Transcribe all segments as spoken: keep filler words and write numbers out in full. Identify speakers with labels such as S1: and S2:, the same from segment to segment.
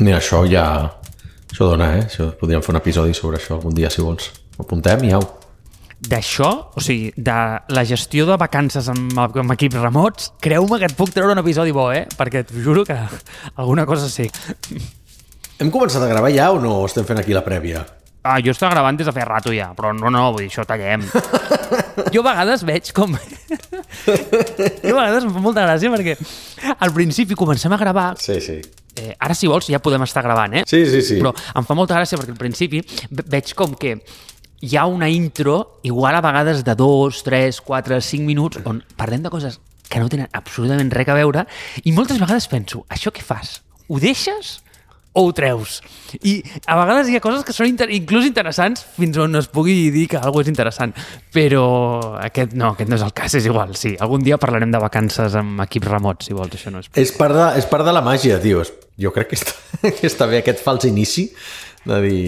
S1: Ni això ja... Això dona, eh? Això, podríem fer un episodi sobre això algun dia, si vols. Ho apuntem i au.
S2: D'això, o sigui, de la gestió de vacances amb, amb equips remots, creu-me que et puc treure un episodi bo, eh? Perquè t'ho juro que alguna cosa sé.
S1: Hem començat a gravar ja o no estem fent aquí la prèvia?
S2: Ah, jo estava gravant des de fer rato ja, però no, no, vull dir, això tallem. Jo a vegades veig com... jo a vegades em fa molta gràcia perquè al principi comencem a gravar...
S1: Sí, sí.
S2: Eh, ara, si vols, ja podem estar gravant, eh?
S1: Sí, sí, sí.
S2: Però em fa molta gràcia perquè al principi veig com que hi ha una intro, igual a vegades de dos, tres, quatre, cinc minuts, on parlem de coses que no tenen absolutament res a veure, i moltes vegades penso, això què fas? Ho deixes o ho treus? I a vegades hi ha coses que són inter inclús interessants fins on es pugui dir que alguna és interessant, però aquest no, aquest no és el cas, és igual, sí. Algun dia parlarem de vacances amb equips remots, si vols, això no és...
S1: És part de, és part de la màgia, tio. Jo crec que està, que està bé aquest fals inici de dir...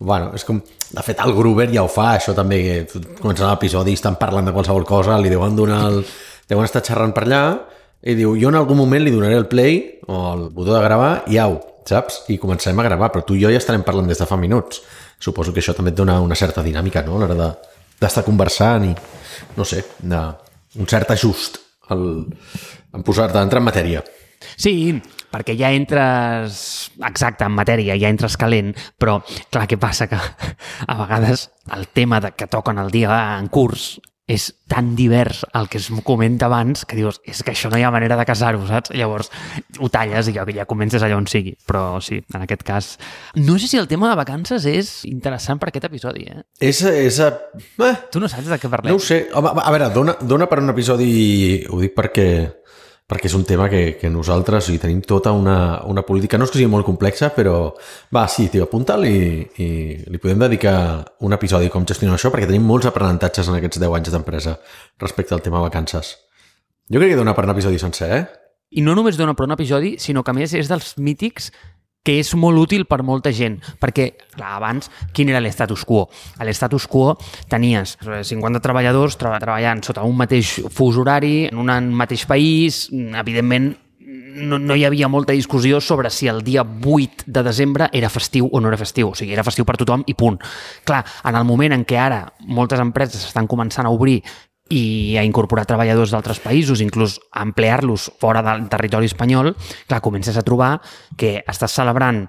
S1: Bueno, és com... De fet, el Gruber ja ho fa, això també, que començant l'episodi estan parlant de qualsevol cosa, li deuen donar el... deuen estar xerrant per allà i diu, jo en algun moment li donaré el play o el botó de gravar i au, saps? I comencem a gravar, però tu i jo ja estarem parlant des de fa minuts. Suposo que això també et dona una certa dinàmica, no?, a l'hora de, d'estar conversant i, no sé, de, un cert ajust al, en posar-te, entrar en matèria.
S2: Sí, perquè ja entres, exacte, en matèria, ja entres calent, però clar, què passa? Que a vegades el tema de que toquen el dia en curs és tan divers el que es comenta abans que dius, és que això no hi ha manera de casar-ho, saps? Llavors ho talles i ja, ja comences allà on sigui. Però sí, en aquest cas... No sé si el tema de vacances és interessant per aquest episodi, eh?
S1: És... és eh.
S2: Tu no saps de què parlem?
S1: No ho sé. Home, a veure, dona, dona per un episodi... Ho dic perquè... perquè és un tema que, que nosaltres o sigui, tenim tota una, una política, no és que sigui molt complexa, però va, sí, tio, apunta'l i, i li podem dedicar un episodi com gestionar això, perquè tenim molts aprenentatges en aquests deu anys d'empresa respecte al tema vacances. Jo crec que dona per un episodi sencer, eh?
S2: I no només dona per un episodi, sinó que a més és dels mítics que és molt útil per molta gent, perquè, clar, abans, quin era l'estatus quo? A l'estatus quo tenies cinquanta treballadors tra treballant sota un mateix fus horari, en un mateix país, evidentment, no, no hi havia molta discussió sobre si el dia vuit de desembre era festiu o no era festiu, o sigui, era festiu per tothom i punt. Clar, en el moment en què ara moltes empreses estan començant a obrir i a incorporar treballadors d'altres països, inclús a emplear-los fora del territori espanyol, clar, comences a trobar que estàs celebrant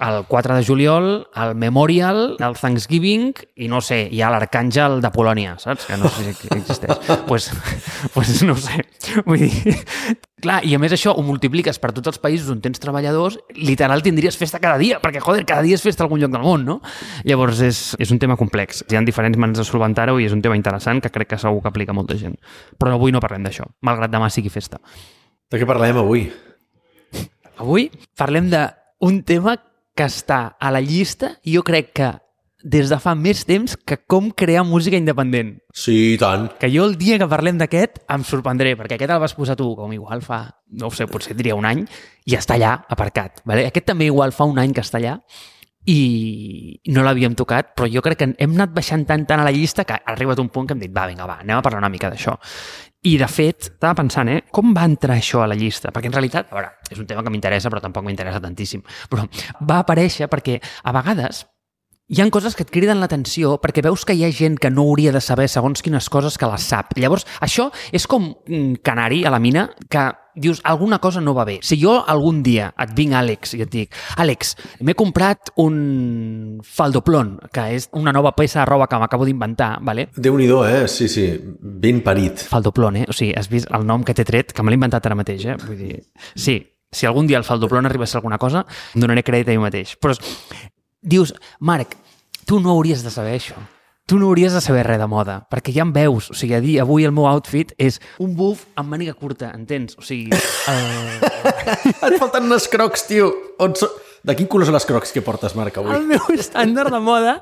S2: el quatre de juliol, el Memorial, el Thanksgiving i no sé, hi ha l'Arcàngel de Polònia, saps? Que no sé si existeix. Pues, pues no sé. Vull dir, clar, i a més això ho multipliques per tots els països on tens treballadors, literal tindries festa cada dia, perquè, joder, cada dia és festa a algun lloc del món, no? Llavors és, és un tema complex. Hi ha diferents maneres de solventar-ho i és un tema interessant que crec que segur que aplica molta gent. Però avui no parlem d'això, malgrat demà sigui festa.
S1: De què parlem avui?
S2: Avui parlem d'un tema que està a la llista i jo crec que des de fa més temps que com crear música independent.
S1: Sí, i tant.
S2: Que jo el dia que parlem d'aquest em sorprendré, perquè aquest el vas posar tu com igual fa, no ho sé, potser diria un any, i està allà aparcat. Vale? Aquest també igual fa un any que està allà i no l'havíem tocat, però jo crec que hem anat baixant tant tant a la llista que ha arribat un punt que hem dit, va, vinga, va, anem a parlar una mica d'això. I, de fet, estava pensant, eh, com va entrar això a la llista? Perquè, en realitat, a veure, és un tema que m'interessa, però tampoc m'interessa tantíssim. Però va aparèixer perquè, a vegades, hi ha coses que et criden l'atenció perquè veus que hi ha gent que no hauria de saber segons quines coses que les sap. Llavors, això és com un canari a la mina que dius, alguna cosa no va bé. Si jo algun dia et vinc, Àlex, i et dic, Àlex, m'he comprat un faldoplon, que és una nova peça de roba que m'acabo d'inventar, vale?
S1: Déu-n'hi-do, eh? Sí, sí, ben parit.
S2: Faldoplon, eh? O sigui, has vist el nom que t'he tret, que me l'he inventat ara mateix, eh? Vull dir, sí, si algun dia el faldoplon arriba a ser alguna cosa, em donaré crèdit a mi mateix. Però dius, Marc, tu no hauries de saber això. Tu no hauries de saber res de moda, perquè ja em veus. O sigui, a dir, avui el meu outfit és un buff amb màniga curta, entens? O sigui... Uh...
S1: Et falten unes crocs, tio. On so... De quin color són les crocs que portes, Marc, avui?
S2: El meu estàndard de moda...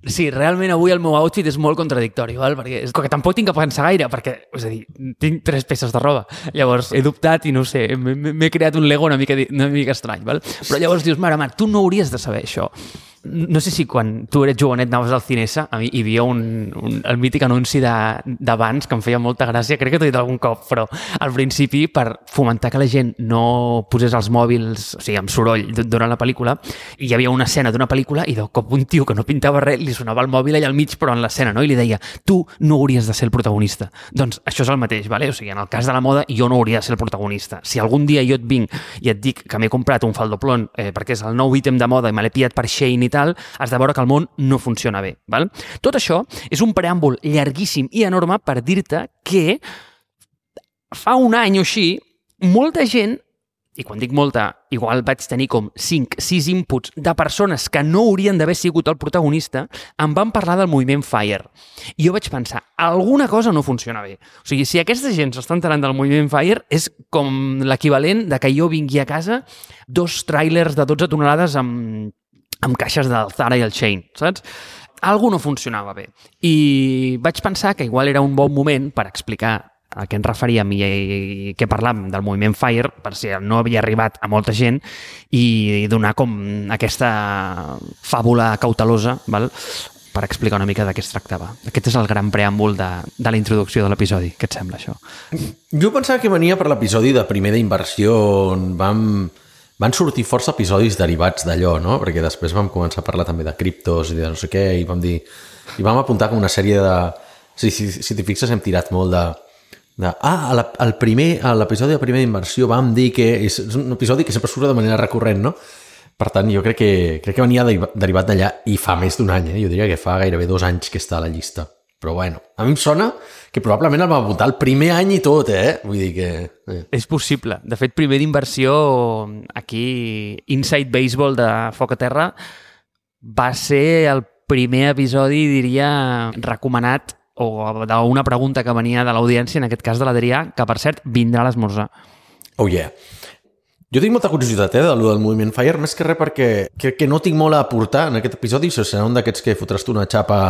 S2: Sí, realment avui el meu outfit és molt contradictori, val? Perquè és... que tampoc tinc que pensar gaire, perquè, és a dir, tinc tres peces de roba. Llavors, he dubtat i no sé, m'he creat un Lego una mica, una mica estrany, val? Però llavors dius, mare, Marc, tu no hauries de saber això. no sé si quan tu eres jovenet anaves al Cinesa, a mi hi havia un, un, el mític anunci d'abans que em feia molta gràcia, crec que t'ho he dit algun cop, però al principi, per fomentar que la gent no posés els mòbils, o sigui, amb soroll durant la pel·lícula, hi havia una escena d'una pel·lícula i de cop un tio que no pintava res li sonava el mòbil allà al mig, però en l'escena, no? I li deia, tu no hauries de ser el protagonista. Doncs això és el mateix, vale? O sigui, en el cas de la moda, jo no hauria de ser el protagonista. Si algun dia jo et vinc i et dic que m'he comprat un faldoplon eh, perquè és el nou ítem de moda i me l'he pillat per Shein i tal, has de veure que el món no funciona bé. Val? Tot això és un preàmbul llarguíssim i enorme per dir-te que fa un any o així, molta gent, i quan dic molta, igual vaig tenir com cinc sis inputs de persones que no haurien d'haver sigut el protagonista, em van parlar del moviment FIRE. I jo vaig pensar, alguna cosa no funciona bé. O sigui, si aquesta gent s'està enterant del moviment FIRE, és com l'equivalent de que jo vingui a casa dos tràilers de dotze tonelades amb amb caixes del Zara i el Shein, saps? Algú no funcionava bé. I vaig pensar que igual era un bon moment per explicar a què ens referíem i, i què parlàvem del moviment FIRE, per si no havia arribat a molta gent, i donar com aquesta fàbula cautelosa, val? Per explicar una mica de què es tractava. Aquest és el gran preàmbul de, de la introducció de l'episodi. Què et sembla, això?
S1: Jo pensava que venia per l'episodi de primer d'inversió on vam... Van sortir força episodis derivats d'allò, no? Perquè després vam començar a parlar també de criptos i de no sé què, i vam dir... I vam apuntar com una sèrie de... Si, si, si t'hi fixes, hem tirat molt de... de ah, la, el primer, a l'episodi de primera inversió vam dir que... És un episodi que sempre surt de manera recurrent, no? Per tant, jo crec que, crec que venia derivat d'allà i fa més d'un any, eh? Jo diria que fa gairebé dos anys que està a la llista. Però bueno, a mi em sona que probablement el vam apuntar el primer any i tot, eh? Vull dir que... Eh.
S2: És possible. De fet, primer d'inversió, aquí, Inside Baseball de Foc a Terra, va ser el primer episodi, diria, recomanat o d'una pregunta que venia de l'audiència, en aquest cas de l'Adrià, que, per cert, vindrà a l'esmorzar.
S1: Oh, yeah. Jo tinc molta curiositat, eh, del, del moviment FIRE, més que res perquè crec que no tinc molt a aportar en aquest episodi, això serà un d'aquests que fotràs tu una xapa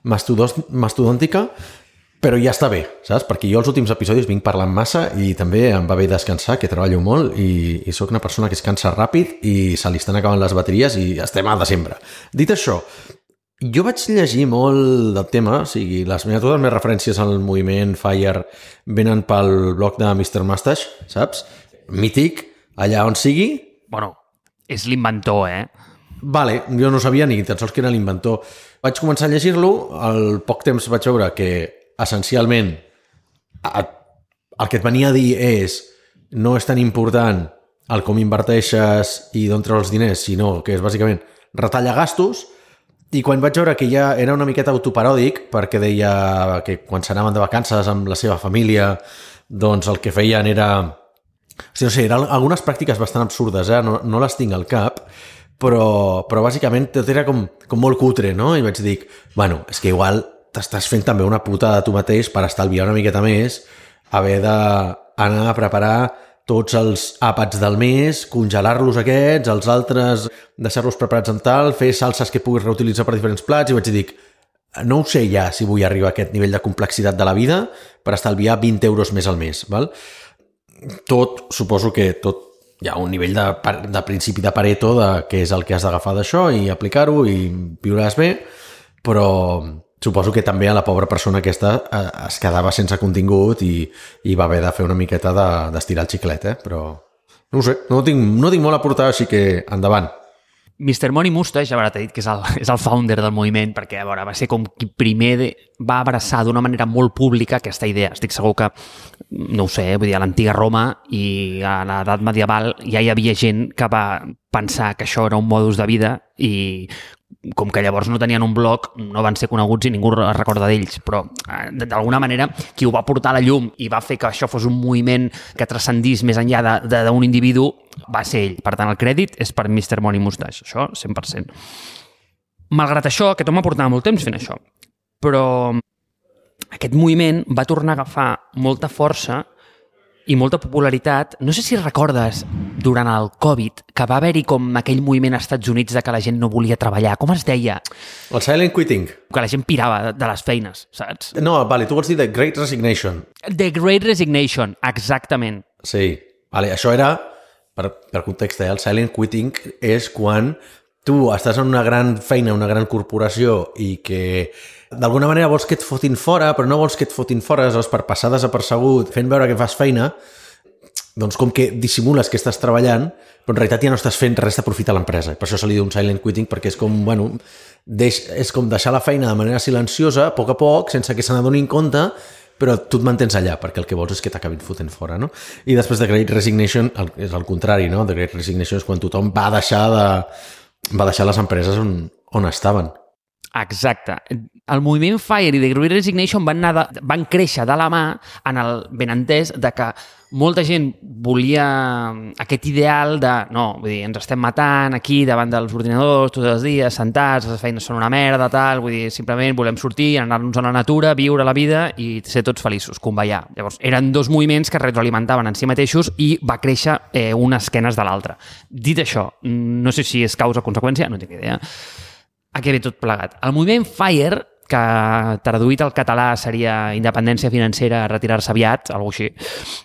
S1: mastodòntica, però ja està bé, saps? Perquè jo els últims episodis vinc parlant massa i també em va bé descansar, que treballo molt i, i sóc una persona que es cansa ràpid i se li estan acabant les bateries i estem a desembre. Dit això, jo vaig llegir molt del tema, o sigui, les meves, totes les meves referències al moviment FIRE venen pel blog de mister Mustache, saps? Mític, allà on sigui.
S2: Bueno, és l'inventor, eh?
S1: Vale, jo no sabia ni tan sols que era l'inventor. Vaig començar a llegir-lo, al poc temps vaig veure que essencialment el que et venia a dir és no és tan important el com inverteixes i d'on treus els diners, sinó que és bàsicament retalla gastos, i quan vaig veure que ja era una miqueta autoparòdic, perquè deia que quan s'anaven de vacances amb la seva família, doncs el que feien era... O sigui, no sé, eren algunes pràctiques bastant absurdes, eh? no, no les tinc al cap, però, però bàsicament tot era com, com molt cutre, no? I vaig dir, bueno, és que igual t'estàs fent també una puta de tu mateix per estalviar una miqueta més, haver d'anar a preparar tots els àpats del mes, congelar-los aquests, els altres deixar-los preparats en tal, fer salses que puguis reutilitzar per diferents plats, i vaig dir, no ho sé ja si vull arribar a aquest nivell de complexitat de la vida per estalviar vint euros més al mes, val? Tot, suposo que tot hi ha un nivell de, de principi de Pareto de què és el que has d'agafar d'això i aplicar-ho i viuràs bé, però suposo que també a la pobra persona aquesta es quedava sense contingut i, i va haver de fer una miqueta d'estirar de, el xiclet, eh? Però no ho sé, no tinc, no tinc molt a portar, així que endavant.
S2: mister Money Mustache, a veure, t'he dit que és el, és el founder del moviment, perquè a veure, va ser com qui primer de, va abraçar d'una manera molt pública aquesta idea. Estic segur que, no ho sé, vull dir, a l'antiga Roma i a l'edat medieval ja hi havia gent que va pensar que això era un modus de vida i com que llavors no tenien un blog, no van ser coneguts i ningú es recorda d'ells, però d'alguna manera qui ho va portar a la llum i va fer que això fos un moviment que transcendís més enllà d'un individu va ser ell. Per tant, el crèdit és per mister Money Mustache, això cent per cent. Malgrat això, aquest home portava molt temps fent això, però aquest moviment va tornar a agafar molta força i molta popularitat. No sé si recordes, durant el Covid, que va haver-hi com aquell moviment als Estats Units de que la gent no volia treballar. Com es deia?
S1: El silent quitting.
S2: Que la gent pirava de les feines, saps?
S1: No, vale, tu vols dir The Great Resignation.
S2: The Great Resignation, exactament.
S1: Sí, vale, això era, per, per context, eh? El silent quitting és quan tu estàs en una gran feina, una gran corporació i que d'alguna manera vols que et fotin fora, però no vols que et fotin fora, aleshores per passar desapercebut, fent veure que fas feina, doncs com que dissimules que estàs treballant, però en realitat ja no estàs fent res de profit a l'empresa. Per això se li diu un silent quitting, perquè és com, bueno, deix, és com deixar la feina de manera silenciosa, a poc a poc, sense que se n'adonin compte, però tu et mantens allà, perquè el que vols és que t'acabin fotent fora, no? I després de Great Resignation, el, és el contrari, no? The Great Resignation és quan tothom va deixar de... va deixar les empreses on, on estaven.
S2: Exacte. El moviment FIRE i The Great Resignation van, anar de, van créixer de la mà en el benentès de que molta gent volia aquest ideal de, no, vull dir, ens estem matant aquí davant dels ordinadors tots els dies, sentats, les feines són una merda, tal, vull dir, simplement volem sortir, anar-nos a la natura, viure la vida i ser tots feliços, convallar. Llavors, eren dos moviments que retroalimentaven en si mateixos i va créixer eh, unes esquenes de l'altra. Dit això, no sé si és causa o conseqüència, no tinc idea. A què ve tot plegat? El moviment FIRE, que traduït al català seria independència financera, retirar-se aviat, alguna cosa així,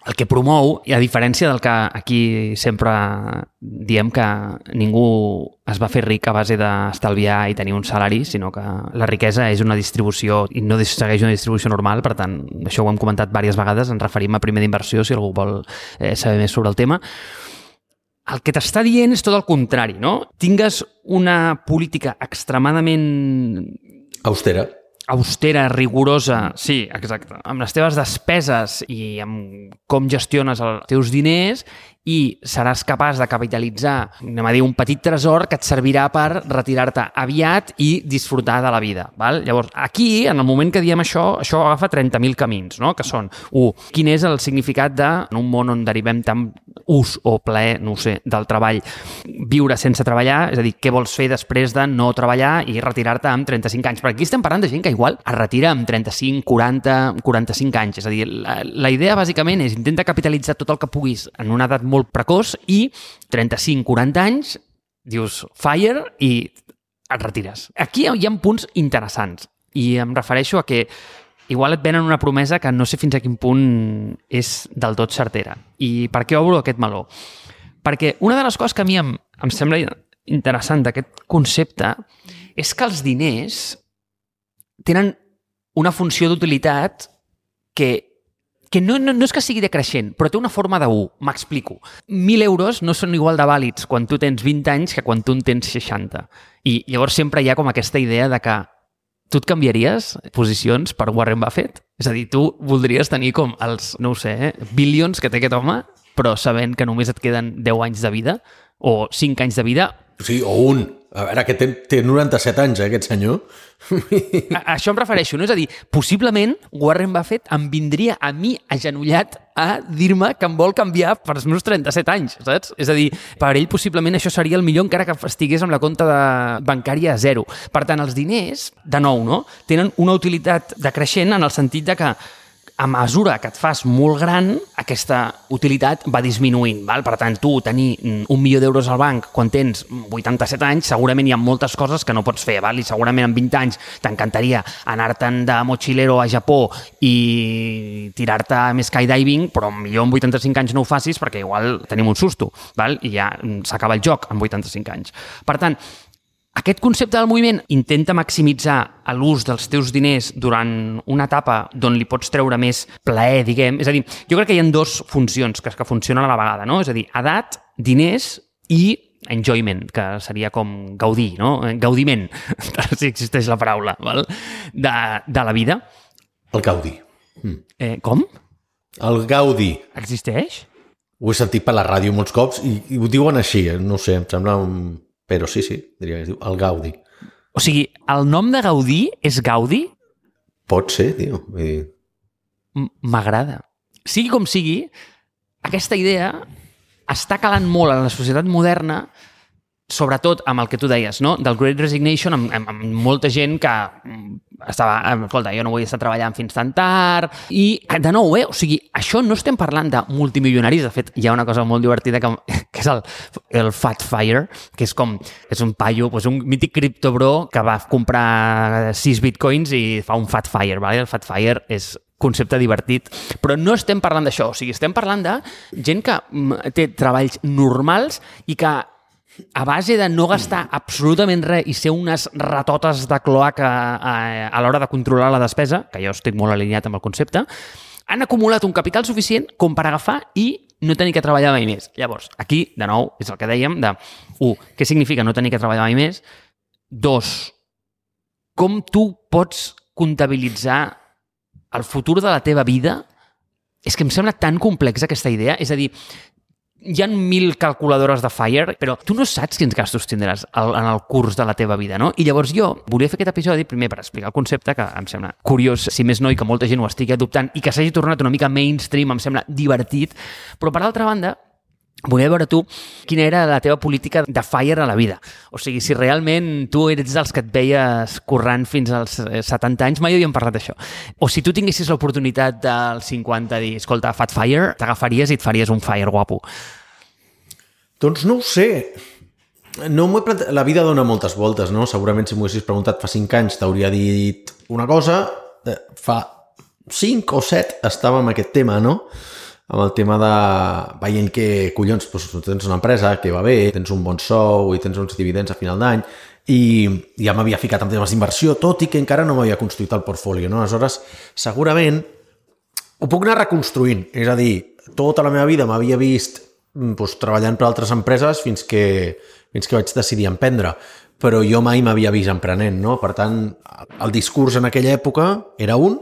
S2: el que promou, i a diferència del que aquí sempre diem que ningú es va fer ric a base d'estalviar i tenir un salari, sinó que la riquesa és una distribució i no segueix una distribució normal, per tant, això ho hem comentat diverses vegades, ens referim a primer d'inversió, si algú vol eh, saber més sobre el tema. El que t'està dient és tot el contrari, no? Tingues una política extremadament...
S1: Austera.
S2: austera, rigorosa, sí, exacte, amb les teves despeses i amb com gestiones els teus diners i seràs capaç de capitalitzar, anem a dir, un petit tresor que et servirà per retirar-te aviat i disfrutar de la vida. Val? Llavors, aquí, en el moment que diem això, això agafa trenta mil camins, no? Que són, u, quin és el significat de, en un món on derivem tant ús o plaer, no ho sé, del treball, viure sense treballar, és a dir, què vols fer després de no treballar i retirar-te amb trenta-cinc anys? Perquè aquí estem parlant de gent que igual es retira amb trenta-cinc, quaranta, quaranta-cinc anys. És a dir, la, la idea bàsicament és intenta capitalitzar tot el que puguis en una edat molt precoç i trenta-cinc, quaranta anys dius FIRE i et retires. Aquí hi ha punts interessants i em refereixo a que igual et venen una promesa que no sé fins a quin punt és del tot certera. I per què obro aquest meló? Perquè una de les coses que a mi em, em sembla interessant d'aquest concepte és que els diners tenen una funció d'utilitat que que no, no, no és que sigui decreixent, però té una forma de u. M'explico. Mil euros no són igual de vàlids quan tu tens vint anys que quan tu en tens seixanta. I llavors sempre hi ha com aquesta idea de que tu et canviaries posicions per Warren Buffett? És a dir, tu voldries tenir com els, no ho sé, eh, bilions que té aquest home, però sabent que només et queden deu anys de vida o cinc anys de vida.
S1: Sí, o un. A veure, que té, té noranta-set anys, eh, aquest senyor.
S2: A, a això em refereixo, no? És a dir, possiblement Warren Buffett em vindria a mi agenollat a dir-me que em vol canviar per els meus trenta-set anys, saps? És a dir, per ell possiblement això seria el millor encara que estigués amb la compta de bancària a zero. Per tant, els diners, de nou, no? Tenen una utilitat decreixent en el sentit de que a mesura que et fas molt gran, aquesta utilitat va disminuint. Val? Per tant, tu tenir un milió d'euros al banc quan tens vuitanta-set anys, segurament hi ha moltes coses que no pots fer. Val? I segurament en vint anys t'encantaria anar-te'n de mochilero a Japó i tirar-te amb skydiving, però millor amb vuitanta-cinc anys no ho facis perquè igual tenim un susto. Val? I ja s'acaba el joc amb vuitanta-cinc anys. Per tant, aquest concepte del moviment intenta maximitzar l'ús dels teus diners durant una etapa d'on li pots treure més plaer, diguem. És a dir, jo crec que hi ha dues funcions que, que funcionen a la vegada, no? És a dir, edat, diners i enjoyment, que seria com gaudir, no? Gaudiment, si existeix la paraula, val? De, de la vida.
S1: El gaudi.
S2: Mm. Eh, com?
S1: El gaudi.
S2: Existeix?
S1: Ho he sentit per la ràdio molts cops i, i ho diuen així, no sé, em sembla un... Però sí, sí, diria que es diu el Gaudi.
S2: O sigui, el nom de Gaudí és Gaudi?
S1: Pot ser, tio.
S2: M'agrada. Sigui com sigui, aquesta idea està calant molt en la societat moderna, sobretot amb el que tu deies, no? Del Great Resignation, amb, amb, amb molta gent que estava, escolta, jo no vull estar treballant fins tan tard, i de nou, eh? O sigui, això no estem parlant de multimilionaris, de fet, hi ha una cosa molt divertida que, que és el, el Fat Fire, que és com, és un paio, doncs un mític criptobro que va comprar sis bitcoins i fa un Fat Fire, vale? El Fat Fire és concepte divertit, però no estem parlant d'això, o sigui, estem parlant de gent que té treballs normals i que a base de no gastar absolutament res i ser unes ratotes de cloaca a, a l'hora de controlar la despesa, que jo estic molt alineat amb el concepte, han acumulat un capital suficient com per agafar i no tenir que treballar mai més. Llavors, aquí, de nou, és el que dèiem de, un, què significa no tenir que treballar mai més? Dos, com tu pots comptabilitzar el futur de la teva vida? És que em sembla tan complexa aquesta idea. És a dir, hi ha mil calculadores de FIRE, però tu no saps quins gastos tindràs en el curs de la teva vida, no? I llavors jo volia fer aquest episodi primer per explicar el concepte, que em sembla curiós, si més no, i que molta gent ho estigui adoptant i que s'hagi tornat una mica mainstream, em sembla divertit, però per altra banda, volia veure tu quina era la teva política de FIRE a la vida. O sigui, si realment tu eres dels que et veies currant fins als setanta anys, mai havíem parlat d'això. O si tu tinguessis l'oportunitat dels cinquanta de dir, escolta, fat FIRE, t'agafaries i et faries un FIRE guapo.
S1: Doncs no ho sé. No m'ho he plantat... La vida dona moltes voltes, no? Segurament si m'ho haguessis preguntat fa cinc anys t'hauria dit una cosa. Fa cinc o set estava amb aquest tema, no? Amb el tema de veient que, collons, doncs, tens una empresa que va bé, tens un bon sou i tens uns dividends a final d'any i ja m'havia ficat en temes d'inversió, tot i que encara no m'havia construït el portfolio, no? Aleshores, segurament ho puc anar reconstruint. És a dir, tota la meva vida m'havia vist doncs, treballant per altres empreses fins que, fins que vaig decidir emprendre. Però jo mai m'havia vist emprenent, no? Per tant, el discurs en aquella època era un,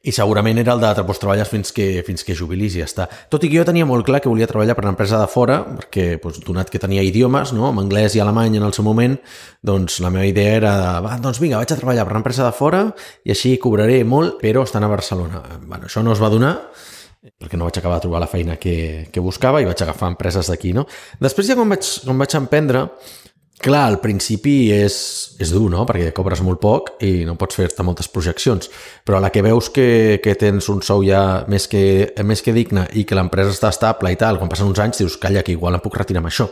S1: i segurament era el de doncs, treballes fins que, fins que jubilis i ja està. Tot i que jo tenia molt clar que volia treballar per una empresa de fora, perquè doncs, donat que tenia idiomes, no? Amb anglès i alemany en el seu moment, doncs la meva idea era, va, doncs vinga, vaig a treballar per una empresa de fora i així cobraré molt, però estan a Barcelona. Bueno, això no es va donar, perquè no vaig acabar de trobar la feina que, que buscava i vaig agafar empreses d'aquí, no? Després ja quan vaig, quan vaig emprendre, clar, al principi és, és dur, no? Perquè cobres molt poc i no pots fer-te moltes projeccions, però a la que veus que, que tens un sou ja més que, més que digne i que l'empresa està estable i tal, quan passen uns anys dius, calla, que igual em puc retirar amb això.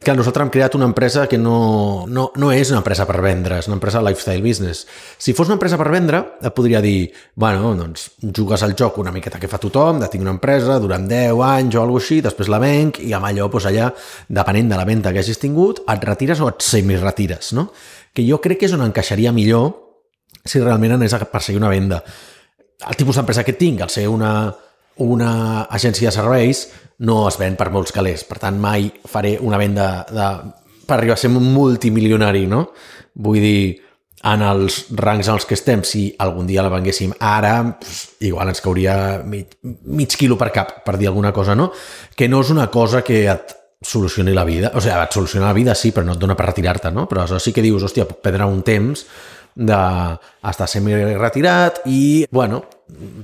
S1: Clar, nosaltres hem creat una empresa que no, no, no és una empresa per vendre, és una empresa lifestyle business. Si fos una empresa per vendre, et podria dir, bueno, doncs jugues al joc una miqueta que fa tothom, de tinc una empresa durant deu anys o alguna cosa així, després la venc i amb allò, doncs allà, depenent de la venda que hagis tingut, et retires o et semiretires, no? Que jo crec que és on encaixaria millor si realment anés a perseguir una venda. El tipus d'empresa que tinc, al ser una, una agència de serveis, no es ven per molts calés. Per tant, mai faré una venda de, per arribar a ser un multimilionari, no? Vull dir, en els rangs en els que estem, si algun dia la venguéssim ara, pues, igual ens cauria mig, mig quilo per cap, per dir alguna cosa, no? Que no és una cosa que et solucioni la vida. O sigui, et soluciona la vida, sí, però no et dona per retirar-te, no? Però això sí que dius, hòstia, puc perdre un temps d'estar semi-retirat i, bueno,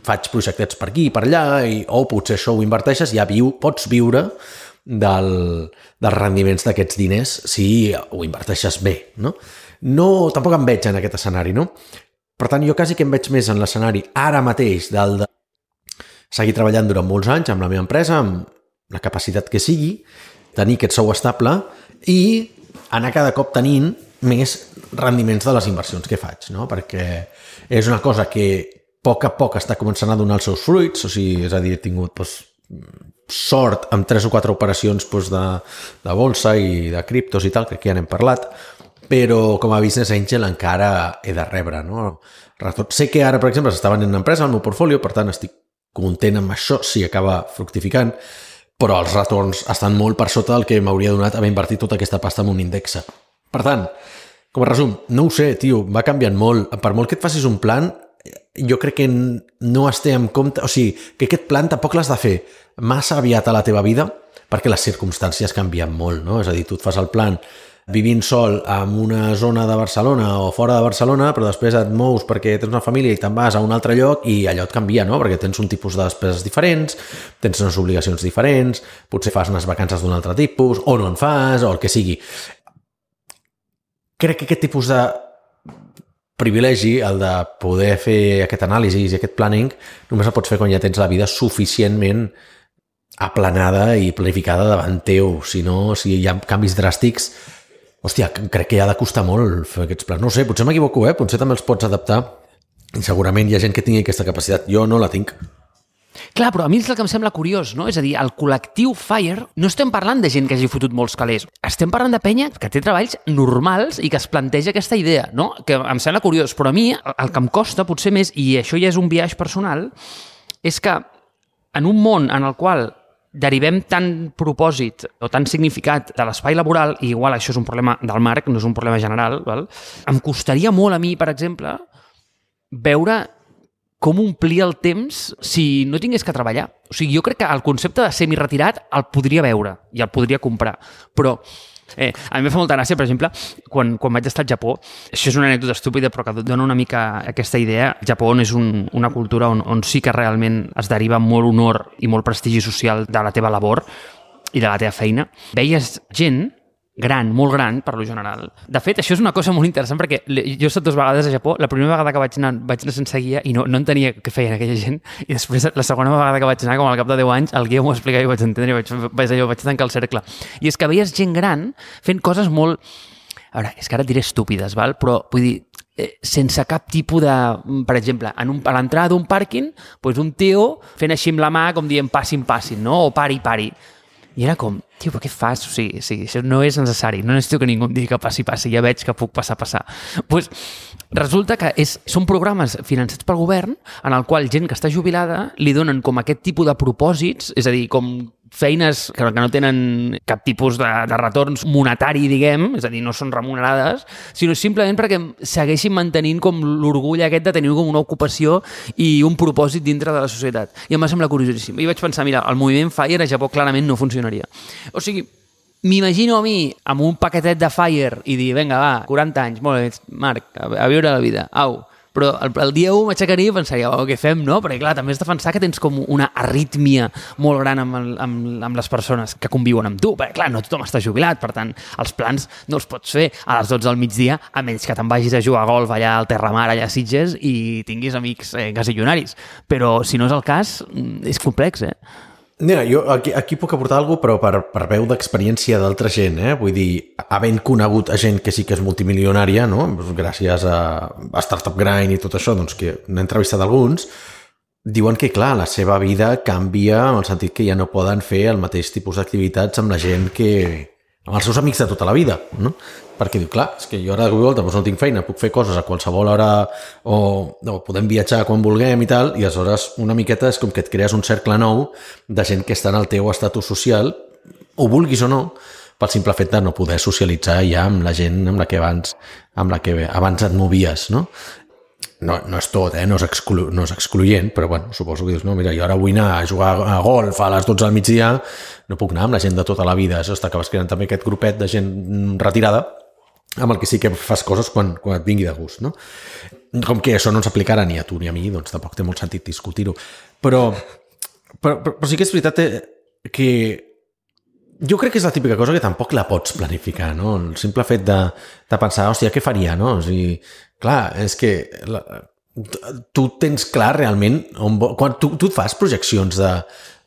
S1: faig projectets per aquí i per allà, i, o potser això ho inverteixes i ja viu, pots viure del, dels rendiments d'aquests diners si ho inverteixes bé, no? No, tampoc em veig en aquest escenari, no? Per tant, jo quasi que em veig més en l'escenari ara mateix del de seguir treballant durant molts anys amb la meva empresa, amb la capacitat que sigui, tenir aquest sou estable i anar cada cop tenint més rendiments de les inversions que faig, no? Perquè és una cosa que a poc a poc està començant a donar els seus fruits, o sigui, és a dir, he tingut doncs, sort amb tres o quatre operacions doncs, de, de bolsa i de criptos i tal, que aquí ja n'hem parlat, però com a business angel encara he de rebre, no? Sé que ara, per exemple, s'està venent una empresa al meu portfolio, per tant estic content amb això si acaba fructificant, però els retorns estan molt per sota del que m'hauria donat haver invertit tota aquesta pasta en un índex. Per tant, com a resum, no ho sé, tio, va canviant molt. Per molt que et facis un plan, jo crec que no es té en compte... O sigui, que aquest plan tampoc l'has de fer massa aviat a la teva vida perquè les circumstàncies canvien molt, no? És a dir, tu et fas el plan vivint sol en una zona de Barcelona o fora de Barcelona, però després et mous perquè tens una família i te'n vas a un altre lloc i allò et canvia, no? Perquè tens un tipus de despeses diferents, tens unes obligacions diferents, potser fas unes vacances d'un altre tipus, o no en fas, o el que sigui. Crec que aquest tipus de privilegi, el de poder fer aquest anàlisi i aquest planning, només el pots fer quan ja tens la vida suficientment aplanada i planificada davant teu. Si no, si hi ha canvis dràstics, hòstia, crec que ha de costar molt fer aquests plans. No ho sé, potser m'equivoco, eh? Potser també els pots adaptar. I segurament hi ha gent que tingui aquesta capacitat. Jo no la tinc.
S2: Clar, però a mi és el que em sembla curiós, no? És a dir, el col·lectiu FIRE, no estem parlant de gent que hagi fotut molts calés, estem parlant de penya que té treballs normals i que es planteja aquesta idea, no? Que em sembla curiós, però a mi el que em costa potser més, i això ja és un viatge personal, és que en un món en el qual derivem tant propòsit o tant significat de l'espai laboral, i igual això és un problema del Marc, no és un problema general, val? Em costaria molt a mi, per exemple, veure com omplir el temps si no tingués que treballar. O sigui, jo crec que el concepte de semi-retirat el podria veure i el podria comprar, però eh, a mi em fa molta gràcia, per exemple, quan, quan vaig estar al Japó, això és una anècdota estúpida però que dona una mica aquesta idea. El Japó és un, una cultura on, on sí que realment es deriva molt honor i molt prestigi social de la teva labor i de la teva feina. Veies gent gran, molt gran, per lo general. De fet, això és una cosa molt interessant perquè jo he estat dues vegades a Japó. La primera vegada que vaig anar, vaig anar sense guia i no, no entenia què feien aquella gent, i després la segona vegada que vaig anar, com al cap de deu anys, el guia m'ho explicava i vaig entendre i vaig, vaig, allò, vaig tancar el cercle. I és que veies gent gran fent coses molt... A veure, és que ara et diré estúpides, val? Però vull dir, eh, sense cap tipus de... Per exemple, en un, a l'entrada d'un pàrquing, doncs un tio fent així amb la mà com dient passin, passin, no? O pari, pari. I era com, tio, però què fas? O sigui, sí, això no és necessari. No necessito que ningú em digui que passi, passi. Ja veig que puc passar, passar. Pues, resulta que és, són programes financets pel govern en el qual gent que està jubilada li donen com aquest tipus de propòsits, és a dir, com feines que, que no tenen cap tipus de, de retorns monetari, diguem, és a dir, no són remunerades, sinó simplement perquè segueixin mantenint com l'orgull aquest de tenir com una ocupació i un propòsit dintre de la societat. I em va semblar curiosíssim. I vaig pensar, mira, el moviment FIRE a Japó clarament no funcionaria. O sigui, m'imagino a mi amb un paquetet de FIRE i dir, vinga, va, quaranta anys, molt bé, Marc, a, a viure la vida, au. Però el, el dia u m'aixecaria i pensaria, oh, què fem, no? Perquè clar, també has de pensar que tens com una arrítmia molt gran amb, el, amb, amb les persones que conviuen amb tu, perquè clar, no tothom està jubilat, per tant, els plans no els pots fer a les dotze del migdia, a menys que te'n vagis a jugar a golf allà al Terramar, allà a Sitges, i tinguis amics eh, gasillonaris. Però si no és el cas, és complex, eh?
S1: Mira, jo aquí, aquí puc aportar alguna cosa, però per, per veu d'experiència d'altra gent, eh? Vull dir, havent conegut a gent que sí que és multimilionària, no? Gràcies a, a Startup Grind i tot això, doncs que n'he entrevistat alguns, diuen que, clar, la seva vida canvia en el sentit que ja no poden fer el mateix tipus d'activitats amb la gent que... amb els seus amics de tota la vida, no? Perquè diu, clar, és que jo ara de volta doncs no tinc feina, puc fer coses a qualsevol hora o, o podem viatjar quan vulguem i tal, i aleshores una miqueta és com que et crees un cercle nou de gent que està en el teu estatus social, ho vulguis o no, pel simple fet de no poder socialitzar ja amb la gent amb la que abans, amb la que abans et movies, no? No, no és tot, eh? no, és exclu, no és excloent, però bueno, suposo que dius, no, mira, jo ara vull anar a jugar a golf a les dotze del migdia, no puc anar amb la gent de tota la vida, això t'acabes creant també aquest grupet de gent retirada, amb el que sí que fas coses quan, quan et vingui de gust, no? Com que això no ens aplicarà ni a tu ni a mi, doncs tampoc té molt sentit discutir-ho. Però, però, però, però sí que és veritat que jo crec que és la típica cosa que tampoc la pots planificar, no? El simple fet de, de pensar, hòstia, què faria, no? O sigui, clar, és que la, tu tens clar realment on, quan tu, tu et fas projeccions de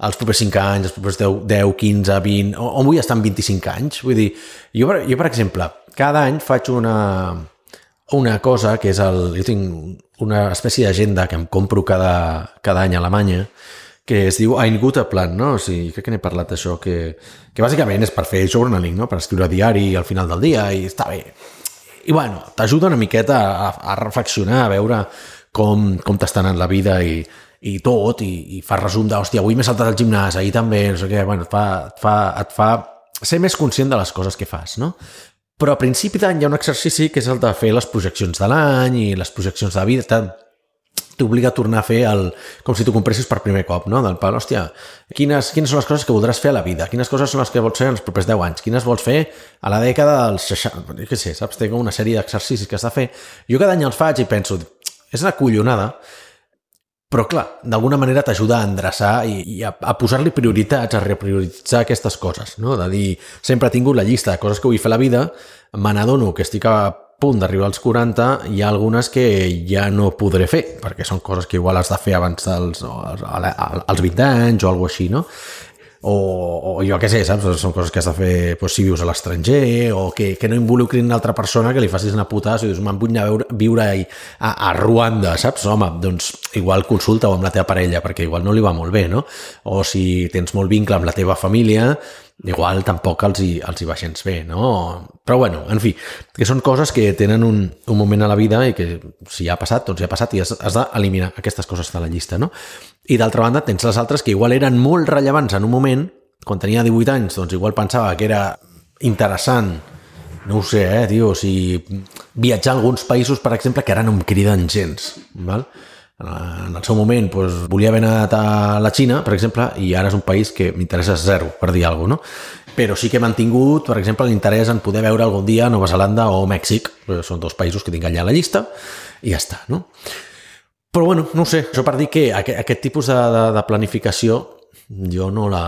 S1: els propers cinc anys, els propers deu, quinze, vint, on vull estar en vint-i-cinc anys? Vull dir, jo, jo per exemple, cada any faig una, una cosa que és el... Jo tinc una espècie d'agenda que em compro cada, cada any a Alemanya, que es diu Ein guter Plan, no? O sigui, crec que n'he parlat d'això, que, que bàsicament és per fer journaling, no? Per escriure diari al final del dia, i està bé. I bueno, t'ajuda una miqueta a, a reflexionar, a veure com, com t'està anant la vida i, i tot, i, i fa resum de, hòstia, avui m'he saltat al gimnàs, ahir també, no sé què, bueno, et fa, et fa, et fa ser més conscient de les coses que fas, no? Però a principi d'any hi ha un exercici que és el de fer les projeccions de l'any i les projeccions de la vida, t'obliga a tornar a fer el, com si t'ho compressis per primer cop, no? Del pal, hòstia, quines, quines són les coses que voldràs fer a la vida? Quines coses són les que vols fer en els propers deu anys? Quines vols fer a la dècada dels seixanta? Què sé, saps? Tinc una sèrie d'exercicis que has de fer. Jo cada any els faig i penso, és una collonada, però clar, d'alguna manera t'ajuda a endreçar i, i a, a posar-li prioritats, a reprioritzar aquestes coses, no? De dir, sempre he tingut la llista de coses que vull fer a la vida, me n'adono que estic a punt d'arribar als quaranta, hi ha algunes que ja no podré fer, perquè són coses que igual has de fer abans dels als vint anys o alguna cosa així, no? o, o jo què sé, saps? Són coses que has de fer doncs, si vius a l'estranger, o que, que no involucrin una altra persona que li facis una putada, si dius, me'n vull anar a viure, viure a, a, a Ruanda, saps? Home, doncs igual consulta-ho amb la teva parella, perquè igual no li va molt bé, no? O si tens molt vincle amb la teva família, igual tampoc els hi, els hi va gens bé, no? Però bueno, en fi, que són coses que tenen un, un moment a la vida i que si ja ha passat, doncs ja ha passat i has, has d'eliminar aquestes coses de la llista, no? I d'altra banda tens les altres que igual eren molt rellevants en un moment, quan tenia divuit anys, doncs igual pensava que era interessant, no ho sé, eh, tio, o sigui, viatjar a alguns països, per exemple, que ara no em criden gens, val? En el seu moment doncs, volia haver anat a la Xina, per exemple, i ara és un país que m'interessa zero, per dir alguna cosa, no? Però sí que he mantingut, per exemple, l'interès en poder veure algun dia Nova Zelanda o Mèxic. Són dos països que tinc allà a la llista i ja està, no? Però bueno, no ho sé, això per dir que aquest, aquest tipus de, de, de planificació jo no la,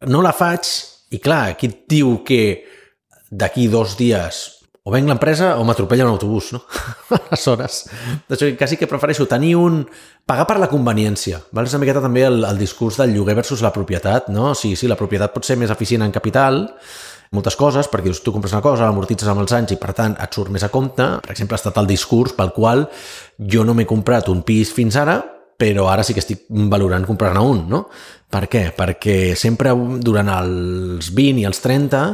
S1: no la faig i clar, aquí et diu que d'aquí dos dies o venc l'empresa o m'atropella un autobús, no? Aleshores, d'això quasi que prefereixo tenir un... pagar per la conveniència, val? És una miqueta també el, el discurs del lloguer versus la propietat, no? Sí, sí, la propietat pot ser més eficient en capital, moltes coses, perquè tu compres una cosa, l'amortitzes amb els anys i per tant et surt més a compte. Per exemple, ha estat el discurs pel qual jo no m'he comprat un pis fins ara, però ara sí que estic valorant comprar-ne un, no? Per què? Perquè sempre durant els vint i els trenta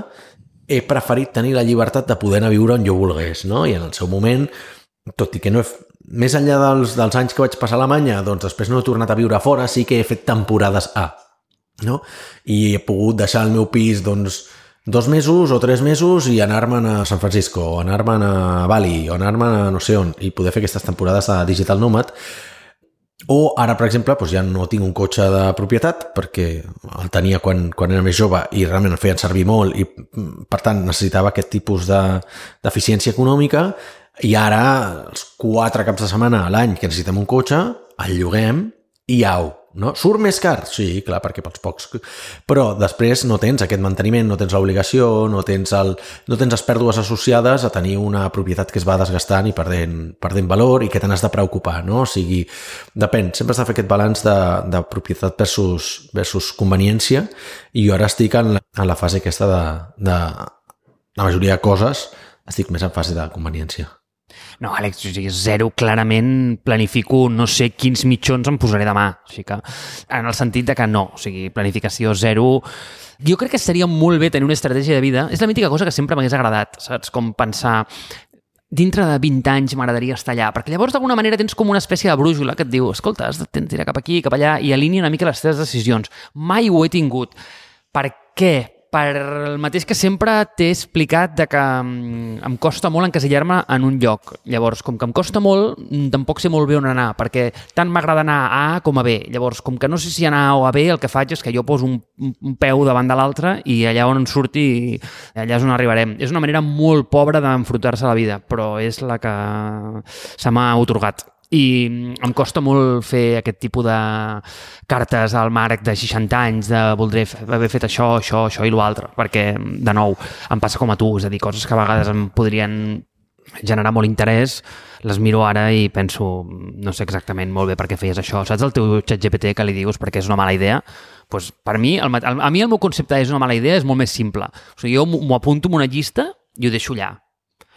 S1: he preferit tenir la llibertat de poder anar a viure on jo volgués, no? I en el seu moment, tot i que no he... més enllà dels, dels anys que vaig passar a Alemanya, doncs després no he tornat a viure a fora, sí que he fet temporades A, no? I he pogut deixar el meu pis, doncs, dos mesos o tres mesos i anar-me'n a San Francisco, o anar-me'n a Bali, o anar-me'n a no sé on, i poder fer aquestes temporades de Digital Nomad. O ara, per exemple, doncs ja no tinc un cotxe de propietat perquè el tenia quan, quan era més jove i realment el feien servir molt i, per tant, necessitava aquest tipus de, d'eficiència econòmica i ara, els quatre caps de setmana a l'any que necessitem un cotxe, el lloguem i au, no? Surt més car? Sí, clar, perquè pels pocs. Però després no tens aquest manteniment, no tens l'obligació, no tens, el, no tens les pèrdues associades a tenir una propietat que es va desgastant i perdent, perdent valor i que te n'has de preocupar, no? O sigui, depèn, sempre has de fer aquest balanç de, de propietat versus, versus conveniència i jo ara estic en la, en la fase aquesta de, de la majoria de coses, estic més en fase de conveniència.
S2: No, Àlex, o sigui, zero, clarament planifico no sé quins mitjons em posaré demà. O sigui que, en el sentit de que no, o sigui, planificació zero... Jo crec que seria molt bé tenir una estratègia de vida. És la mítica cosa que sempre m'hagués agradat, saps? Com pensar, dintre de vint anys m'agradaria estar allà, perquè llavors d'alguna manera tens com una espècie de brújula que et diu, escolta, has de tirar cap aquí, cap allà, i alinea una mica les teves decisions. Mai ho he tingut. Per què? Per el mateix que sempre t'he explicat de que em costa molt encasillar-me en un lloc. Llavors, com que em costa molt, tampoc sé molt bé on anar, perquè tant m'agrada anar a A com a B. Llavors, com que no sé si anar a A o a B, el que faig és que jo poso un, un peu davant de l'altre i allà on en surti, allà és on arribarem. És una manera molt pobra d'enfrontar-se a la vida, però és la que se m'ha atorgat. I em costa molt fer aquest tipus de cartes al Marc de seixanta anys de voldré haver fet això, això, això i l'altre, perquè, de nou, em passa com a tu, és a dir, coses que a vegades em podrien generar molt interès, les miro ara i penso, no sé exactament molt bé per què feies això. Saps el teu xat G P T que li dius perquè és una mala idea? Pues per mi, el, a mi el meu concepte és una mala idea és molt més simple. O sigui, jo m'ho apunto en una llista i ho deixo allà.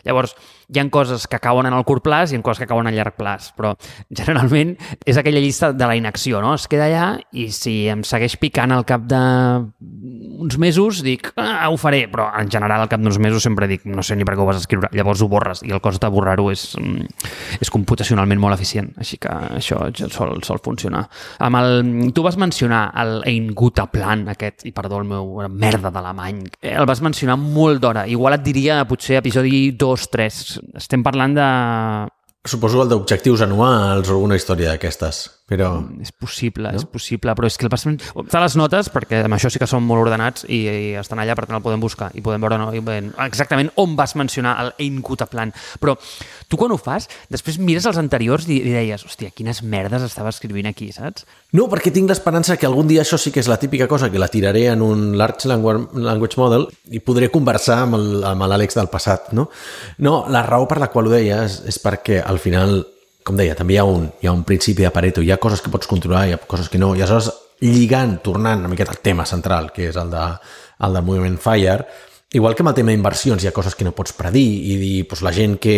S2: Llavors, hi ha coses que cauen en el curt plaç i hi ha coses que cauen a llarg plaç, però generalment és aquella llista de la inacció, no? Es queda allà i si em segueix picant al cap d'uns mesos dic, ah, ho faré, però en general al cap d'uns mesos sempre dic, no sé ni per què ho vas escriure, llavors ho borres i el cost de borrar-ho és, és computacionalment molt eficient, així que això sol, sol funcionar. Amb el, tu vas mencionar el Ein guter Plan aquest, i perdó el meu merda d'alemany, el vas mencionar molt d'hora, igual et diria potser episodi dos, tres. Estem parlant de...
S1: Suposo el d'objectius anuals o alguna història d'aquestes, però...
S2: És possible, no? És possible, però és que el vas... Està a les notes, perquè amb això sí que són molt ordenats i, i estan allà, per tant el podem buscar i podem veure no, exactament on vas mencionar el Ein guter Plan. Però tu quan ho fas, després mires els anteriors i, i deies, hòstia, quines merdes estava escrivint aquí, saps?
S1: No, perquè tinc l'esperança que algun dia això sí que és la típica cosa que la tiraré en un Large Language Model i podré conversar amb, el, amb l'Àlex del passat, no? No, la raó per la qual ho deia és, és perquè al final, com deia, també hi ha un, hi ha un principi de Pareto, hi ha coses que pots controlar, hi ha coses que no, i aleshores lligant, tornant una miqueta al tema central, que és el, de, el del moviment FIRE, igual que amb el tema d'inversions hi ha coses que no pots predir i dir, doncs la gent que,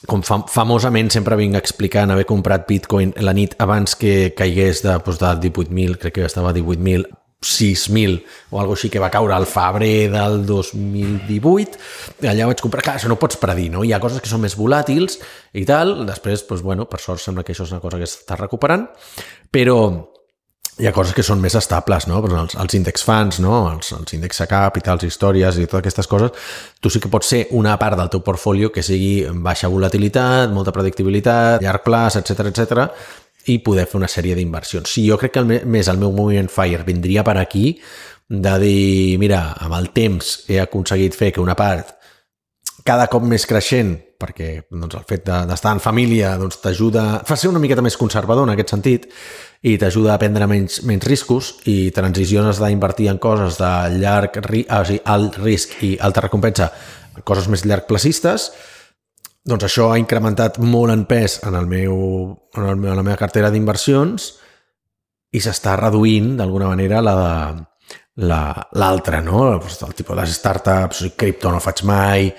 S1: com fam famosament sempre vinc explicant, haver comprat Bitcoin la nit abans que caigués de, doncs de divuit mil, crec que estava a divuit mil, sis mil o alguna així, que va caure al febrer del dos mil divuit, allà vaig comprar, clar, això no pots predir, no? Hi ha coses que són més volàtils i tal, després, doncs, bueno, per sort sembla que això és una cosa que s'està recuperant, però hi ha coses que són més estables, no? Els, els índex funds, no? Els, els índex capitals, històries i totes aquestes coses, tu sí que pots ser una part del teu portfolio que sigui baixa volatilitat, molta predictibilitat, llarg plaç, etcètera, etcètera, i poder fer una sèrie d'inversions. Sí, jo crec que el, més el meu moviment FIRE vindria per aquí de dir, mira, amb el temps he aconseguit fer que una part cada cop més creixent, perquè doncs, el fet d'estar en família doncs, t'ajuda a ser una miqueta més conservador en aquest sentit i t'ajuda a prendre menys, menys riscos i transicions d'invertir en coses de llarg o sigui, alt risc i alta recompensa, coses més llargplacistes, doncs això ha incrementat molt en pes en, el meu, en, el meu, en la meva cartera d'inversions i s'està reduint d'alguna manera la de l'altra, no? El tipus de les startups, cripto no faig mai,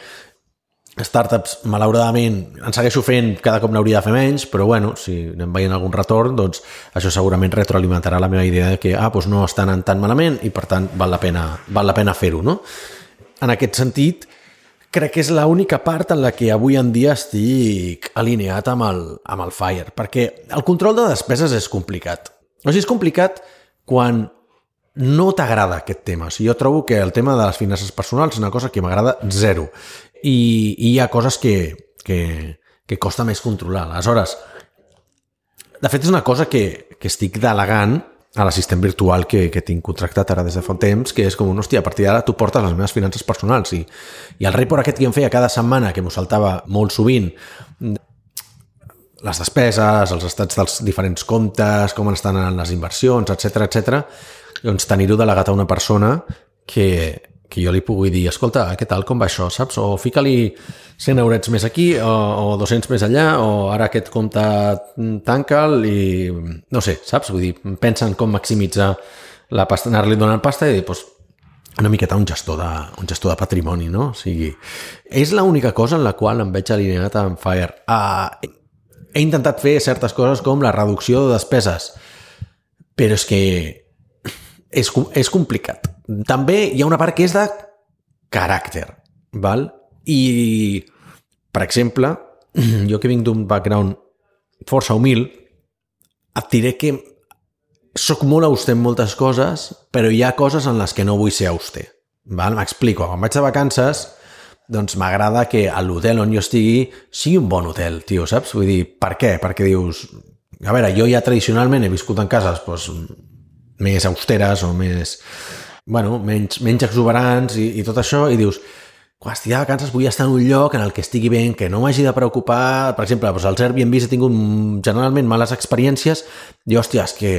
S1: startups, malauradament, en segueixo fent, cada cop n'hauria de fer menys, però bueno, si anem veient algun retorn, doncs això segurament retroalimentarà la meva idea de que ah, doncs no estan anant tan malament i per tant val la pena, val la pena fer-ho, no? En aquest sentit, crec que és l'única part en la que avui en dia estic alineat amb el, amb el FIRE, perquè el control de despeses és complicat. O sigui, és complicat quan no t'agrada aquest tema. O sigui, jo trobo que el tema de les finances personals és una cosa que m'agrada zero. I, i hi ha coses que, que, que costa més controlar. Aleshores, de fet és una cosa que, que estic delegant a l'assistent virtual que, que tinc contractat ara des de fa un temps, que és com un, hòstia, a partir d'ara tu portes les meves finances personals i, i el report aquest que em feia cada setmana, que m'ho saltava molt sovint, les despeses, els estats dels diferents comptes, com estan les inversions, etcètera, etcètera, doncs tenir-ho delegat a una persona que que jo li pugui dir, escolta, què tal, com va això, saps? O fica-li cent eurets més aquí, o, o dos-cents més allà, o ara aquest compte tanca'l i no sé, saps? Vull dir, pensa en com maximitzar la pasta, anar-li donant pasta i dir, doncs, una miqueta un gestor de, un gestor de patrimoni, no? O sigui, és l'única cosa en la qual em veig alineat amb FIRE. Uh, he intentat fer certes coses com la reducció de despeses, però és que és, és complicat. També hi ha una part que és de caràcter, val? I, per exemple, jo que vinc d'un background força humil, et diré que soc molt auster en moltes coses, però hi ha coses en les que no vull ser auster. Val? M'explico. Quan vaig de vacances, doncs m'agrada que l'hotel on jo estigui sigui un bon hotel, tio, saps? Vull dir, per què? Perquè dius, a veure, jo ja tradicionalment he viscut en cases doncs, més austeres o més... bueno, menys, menys exuberants i, i tot això, i dius, quan estigui de vacances vull estar en un lloc en el que estigui bé, que no m'hagi de preocupar. Per exemple, doncs als Airbnbs he tingut generalment males experiències i, hòstia, és que,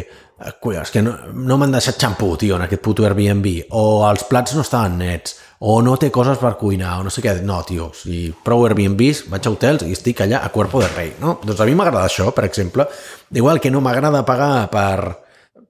S1: és que no, no m'han deixat xampú, tio, en aquest puto Airbnb, o els plats no estaven nets, o no té coses per cuinar, o no sé què. No, tio, si prou Airbnbs, vaig a hotels i estic allà a cuerpo de rei, no? Doncs a mi m'agrada això, per exemple. Igual que no m'agrada pagar per...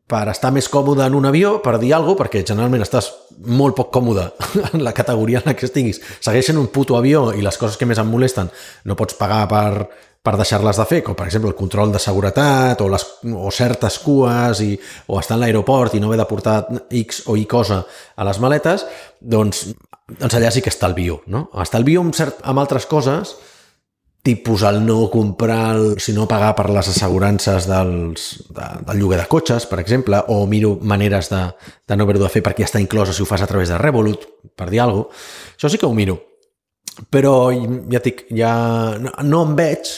S1: per estar més còmode en un avió, per dir alguna cosa, perquè generalment estàs molt poc còmode en la categoria en la que estiguis. Segueixen un puto avió i les coses que més em molesten no pots pagar per, per deixar-les de fer, com per exemple el control de seguretat o, les, o certes cues i, o estar en l'aeroport i no haver de portar X o Y cosa a les maletes, doncs, doncs allà sí que estalvio, no? Estalvio amb, cert, amb altres coses, tipus el no comprar, el, si no pagar per les assegurances dels, de, del lloguer de cotxes, per exemple, o miro maneres de, de no haver-ho de fer perquè ja està inclosa si ho fas a través de Revolut, per dir alguna cosa. Això sí que ho miro. Però ja dic, ja no, no em veig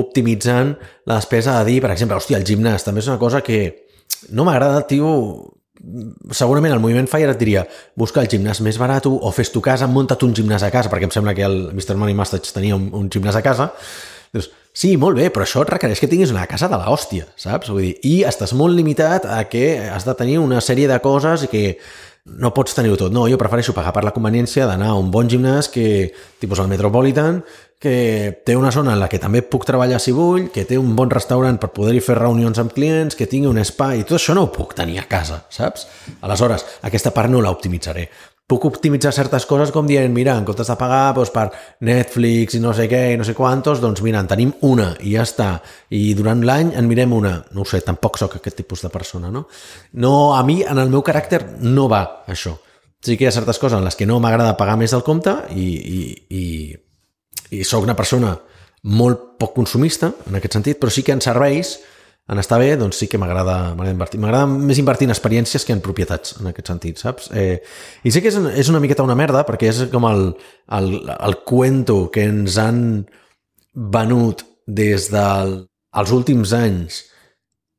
S1: optimitzant la despesa de dir, per exemple, hòstia, el gimnàs també és una cosa que no m'agrada, tio. Segurament el moviment FIRE et diria busca el gimnàs més barat o fes tu casa, munta't un gimnàs a casa, perquè em sembla que el mister Money Mustache tenia un, un gimnàs a casa. Dius, sí, molt bé, però això et requereix que tinguis una casa de l'hòstia, saps? Vull dir, i estàs molt limitat a que has de tenir una sèrie de coses i que no pots tenir-ho tot. No, jo prefereixo pagar per la conveniència d'anar a un bon gimnàs que, tipus el Metropolitan, que té una zona en la que també puc treballar si vull, que té un bon restaurant per poder-hi fer reunions amb clients, que tingui un spa, i tot això no ho puc tenir a casa, saps? Aleshores, aquesta part no l'optimitzaré. Puc optimitzar certes coses com dient, mira, en comptes de pagar doncs, per Netflix i no sé què i no sé quantos, doncs mira, en tenim una i ja està. I durant l'any en mirem una. No ho sé, tampoc sóc aquest tipus de persona, no? No, a mi, en el meu caràcter, no va això. Sí que hi ha certes coses en les que no m'agrada pagar més del compte i, i, i, i sóc una persona molt poc consumista, en aquest sentit, però sí que en serveis, en estar bé, doncs sí que m'agrada invertir. M'agrada més invertir en experiències que en propietats, en aquest sentit, saps? Eh, I sé que és, és una miqueta una merda, perquè és com el, el, el cuento que ens han venut des dels últims anys,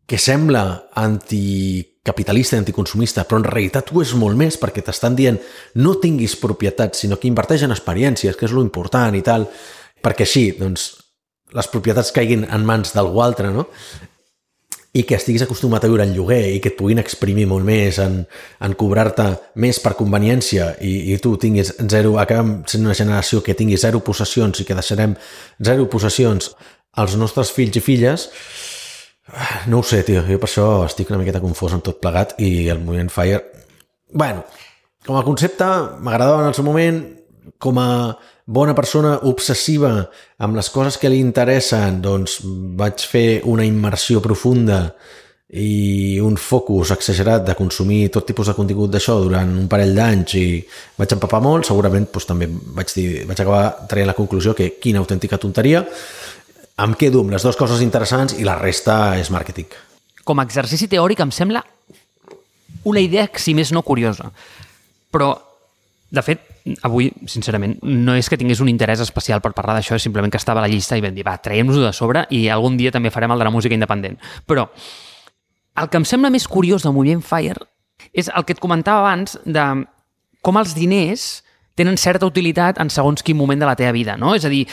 S1: que sembla anticapitalista i anticonsumista, però en realitat ho és molt més, perquè t'estan dient no tinguis propietats, sinó que inverteix en experiències, que és lo important i tal, perquè així, doncs, les propietats caiguin en mans d'algú altre, no? I que estiguis acostumat a viure en lloguer i que et puguin exprimir molt més en, en cobrar-te més per conveniència i, i tu tinguis zero, acabem sent una generació que tingui zero possessions i que deixarem zero possessions als nostres fills i filles, no ho sé, tio, jo per això estic una miqueta confós en tot plegat i el moviment FIRE, bueno, com a concepte m'agradava en el seu moment, com a bona persona obsessiva amb les coses que li interessen, doncs vaig fer una immersió profunda i un focus exagerat de consumir tot tipus de contingut d'això durant un parell d'anys i vaig empapar molt, segurament doncs, també vaig, dir, vaig acabar traient la conclusió que quina autèntica tonteria, em quedo amb les dues coses interessants i la resta és màrqueting.
S2: Com a exercici teòric em sembla una idea, si més no, curiosa, però de fet, avui, sincerament, no és que tingués un interès especial per parlar d'això, és simplement que estava a la llista i vam dir, va, traiem-nos-ho de sobre i algun dia també farem el de la música independent. Però el que em sembla més curiós del moviment FIRE és el que et comentava abans de com els diners tenen certa utilitat en segons quin moment de la teva vida, no? És a dir,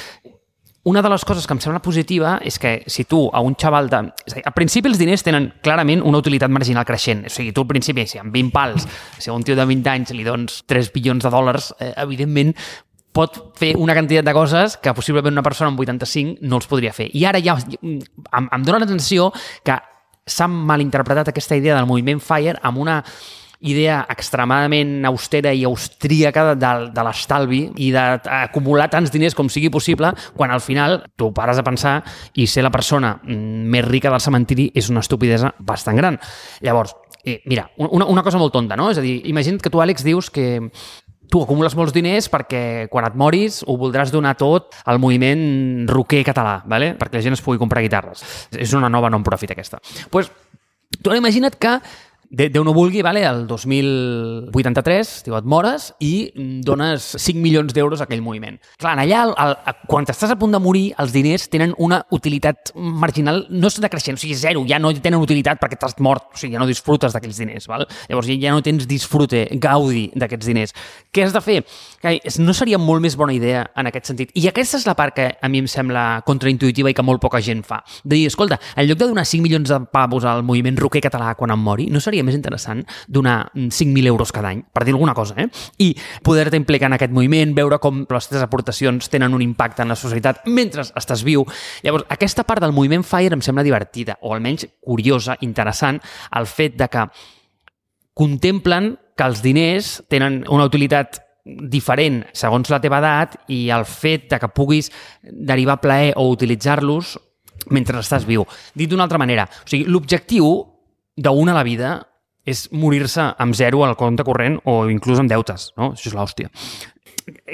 S2: una de les coses que em sembla positiva és que si tu a un xaval de... És a dir, al principi els diners tenen clarament una utilitat marginal creixent. O sigui, tu al principi, si amb vint pals, si a un tio de vint anys li dones tres bilions de dòlars, eh, evidentment pot fer una quantitat de coses que possiblement una persona amb vuitanta-cinc no els podria fer. I ara ja em, em dóna la sensació que s'ha malinterpretat aquesta idea del moviment FIRE amb una idea extremadament austera i austríaca de, de l'estalvi i d'acumular tants diners com sigui possible, quan al final tu pares a pensar i ser la persona més rica del cementiri és una estupidesa bastant gran. Llavors, eh, mira, una, una cosa molt tonta, no? És a dir, imagina't que tu, Àlex, dius que tu acumules molts diners perquè quan et moris ho voldràs donar tot al moviment rocker català, ¿vale? Perquè la gent es pugui comprar guitarres. És una nova non-profit aquesta. Doncs pues, tu imagina't que Déu no vulgui, vale, el dos mil vuitanta-tres, tio, et mores i dones cinc milions d'euros a aquell moviment. Clar, allà, el, el, quan estàs a punt de morir, els diners tenen una utilitat marginal, no és decreixent, o sigui, zero, ja no tenen utilitat perquè t'has mort, o sigui, ja no disfrutes d'aquells diners, val? Llavors ja no tens disfrute, gaudi d'aquests diners. Què has de fer? No seria molt més bona idea en aquest sentit? I aquesta és la part que a mi em sembla contraintuitiva i que molt poca gent fa. De dir, escolta, en lloc de donar cinc milions de pavos al moviment rocker català quan em mori, no seria més interessant donar cinc mil euros cada any, per dir alguna cosa, eh? I poder-te implicar en aquest moviment, veure com les teves aportacions tenen un impacte en la societat mentre estàs viu. Llavors, aquesta part del moviment FIRE em sembla divertida, o almenys curiosa, interessant, el fet de que contemplen que els diners tenen una utilitat diferent segons la teva edat i el fet de que puguis derivar plaer o utilitzar-los mentre estàs viu. Dit d'una altra manera, o sigui, l'objectiu d'una a la vida és morir-se amb zero al compte corrent o inclús amb deutes, no? Això és l'hòstia.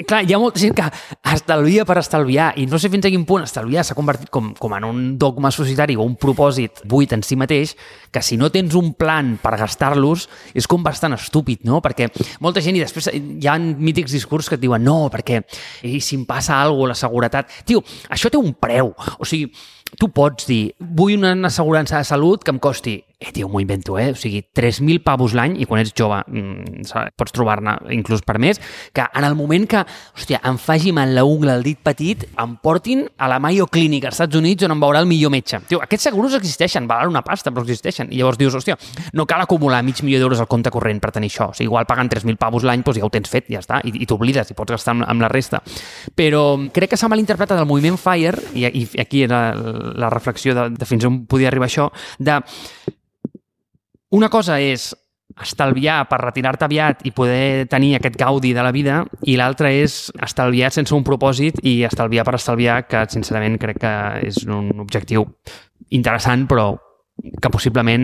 S2: Clar, hi ha molta gent que estalvia per estalviar i no sé fins a quin punt estalviar s'ha convertit com, com en un dogma societari o un propòsit buit en si mateix, que si no tens un plan per gastar-los és com bastant estúpid, no? Perquè molta gent, i després hi ha mítics discurs que et diuen no, perquè i si em passa alguna cosa, la seguretat... Tio, això té un preu. O sigui, tu pots dir, vull una assegurança de salut que em costi, eh, tio, m'ho invento, eh? O sigui, tres mil pavos l'any, i quan ets jove mmm, pots trobar-ne inclús per més, que en el moment que, hòstia, em faci mal la ungla al dit petit, em portin a la Mayo Clinic als Estats Units on em veurà el millor metge. Tio, aquests seguros existeixen, valen una pasta, però existeixen. I llavors dius, hòstia, no cal acumular mig milió d'euros al compte corrent per tenir això. O sigui, igual pagant tres mil pavos l'any, doncs ja ho tens fet, ja està, i, i t'oblides, i pots gastar amb, amb la resta. Però crec que s'ha malinterpretat el moviment FIRE, i, i aquí era la reflexió de, de fins on podia arribar això, de una cosa és estalviar per retirar-te aviat i poder tenir aquest gaudi de la vida, i l'altra és estalviar sense un propòsit i estalviar per estalviar, que sincerament crec que és un objectiu interessant, però que possiblement,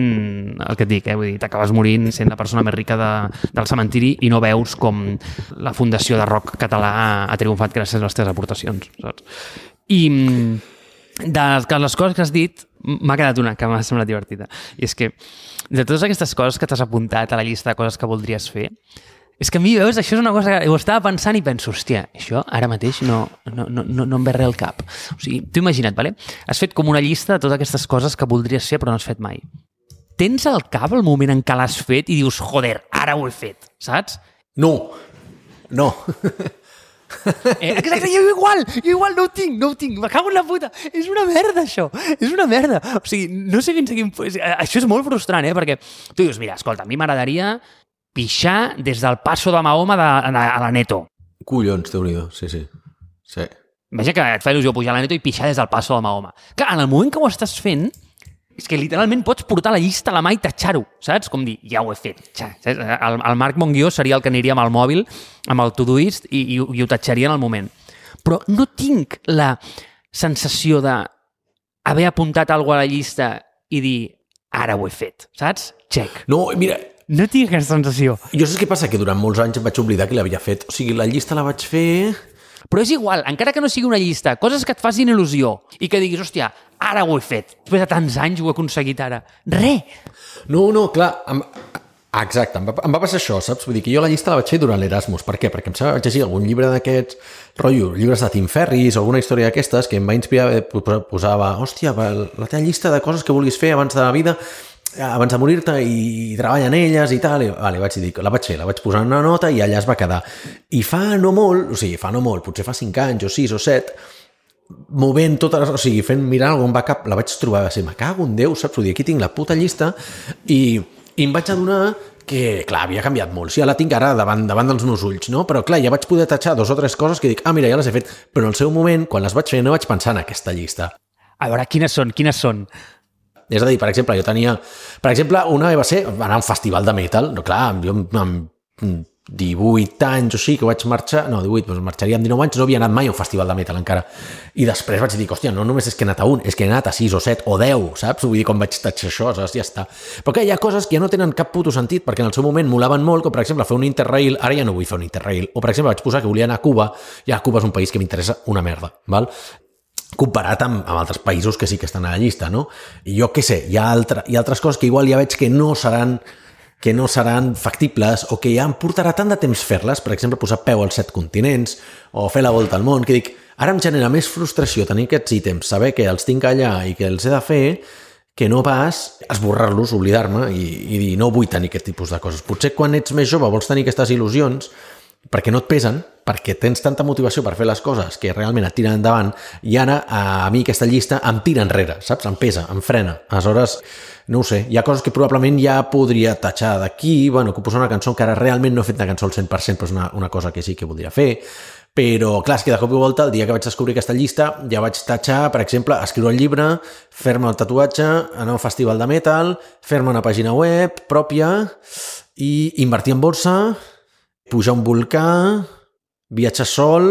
S2: el que et dic, eh? Vull dir, t'acabes morint sent la persona més rica de, del cementiri i no veus com la Fundació de Rock Català ha triomfat gràcies a les teves aportacions, saps? I de les coses que has dit, m'ha quedat una que m'ha semblat divertida. I és que, de totes aquestes coses que t'has apuntat a la llista de coses que voldries fer, és que a mi, veus, això és una cosa que ho estava pensant i penso, hòstia, això ara mateix no, no, no, no, no em ve res al cap. O sigui, t'ho imagina't, vale? Has fet com una llista de totes aquestes coses que voldries fer però no has fet mai. Tens al cap el moment en què l'has fet i dius, joder, ara ho he fet, saps?
S1: No, no.
S2: Eh, exacte, jo igual, jo igual no ho tinc, no ho tinc, me cago en la puta, és una merda això, és una merda, o sigui, no sé fins a quin... Això és molt frustrant, eh, perquè tu dius, mira, escolta, a mi m'agradaria pixar des del Passo de Mahoma de, de, a la Neto.
S1: Collons, Déu-n'hi-do, sí, sí, sí.
S2: Imagina que et fa il·lusió pujar a la Neto i pixar des del Passo de Mahoma. Clar, en el moment que ho estàs fent, és que literalment pots portar la llista a la mà i tatxar-ho, saps? Com dir, ja ho he fet. El, el Marc Monguió seria el que aniria amb el mòbil, amb el Todoist, i, i, i ho tatxaria en el moment. Però no tinc la sensació d'haver apuntat alguna cosa a la llista i dir, ara ho he fet, saps? Check.
S1: No, mira...
S2: No tinc aquesta sensació.
S1: Jo saps què passa? Que durant molts anys em vaig oblidar que l'havia fet. O sigui, la llista la vaig fer...
S2: Però és igual, encara que no sigui una llista, coses que et facin il·lusió i que diguis, hòstia, ara ho he fet, després de tants anys ho he aconseguit ara. Re!
S1: No, no, clar, em... exacte, em va, em va passar això, saps? Vull dir que jo la llista la vaig fer durant l'Erasmus. Per què? Perquè em sembla que vaig llegir algun llibre d'aquests, rotllo, llibres de Tim Ferriss o alguna història d'aquestes que em va inspirar, posava, hòstia, la teva llista de coses que vulguis fer abans de la vida, abans de morir-te, i treballa en elles i tal, i vale, vaig dir, la vaig fer, la vaig posar en una nota i allà es va quedar. I fa no molt, o sigui, fa no molt, potser fa cinc anys o sis o set, movent totes, o sigui, fent, mirant algun backup, la vaig trobar, va ser, me cago en Déu, saps? Vull dir, aquí tinc la puta llista, i, i em vaig adonar que, clar, havia canviat molt. Sí, ja la tinc ara davant, davant dels meus ulls, no? Però, clar, ja vaig poder tatxar dos o tres coses que dic, ah, mira, ja les he fet, però en el seu moment, quan les vaig fer, no vaig pensar en aquesta llista.
S2: A veure, quines són, quines són?
S1: És a dir, per exemple, jo tenia... Per exemple, una va ser anar a un festival de metal. No, clar, jo amb divuit anys o sí que vaig marxar... No, divuit, doncs marxaria amb dinou anys, no havia anat mai a un festival de metal encara. I després vaig dir, hòstia, no només és que he anat a un, és que he anat a sis o set o deu, saps? Vull dir, com vaig tatxar això, saps? Ja està. Però que hi ha coses que ja no tenen cap puto sentit, perquè en el seu moment molaven molt, com per exemple fer un Interrail, ara ja no vull fer un Interrail. O per exemple vaig posar que volia anar a Cuba, ja Cuba és un país que m'interessa una merda, val? Comparat amb, amb altres països que sí que estan a la llista, no? I jo què sé, hi ha, altre, hi ha altres coses que igual ja veig que no seran que no seran factibles o que ja em portarà tant de temps fer-les, per exemple, posar peu als set continents o fer la volta al món, que dic, ara em genera més frustració tenir aquests ítems, saber que els tinc allà i que els he de fer, que no pas esborrar-los, oblidar-me i, i dir, no vull tenir aquest tipus de coses. Potser quan ets més jove vols tenir aquestes il·lusions perquè no et pesen, perquè tens tanta motivació per fer les coses que realment et tiren endavant, i ara a mi aquesta llista em tira enrere, saps? Em pesa, em frena. Aleshores, no ho sé, hi ha coses que probablement ja podria tatxar d'aquí, bueno, composar una cançó que ara realment no he fet una cançó al cent per cent, però és una, una cosa que sí que voldria fer, però clar, és que de cop i volta, el dia que vaig descobrir aquesta llista, ja vaig tatxar, per exemple, escriure el llibre, fer-me el tatuatge, anar a un festival de metal, fer-me una pàgina web pròpia i invertir en borsa, pujar un volcà, viatjar sol,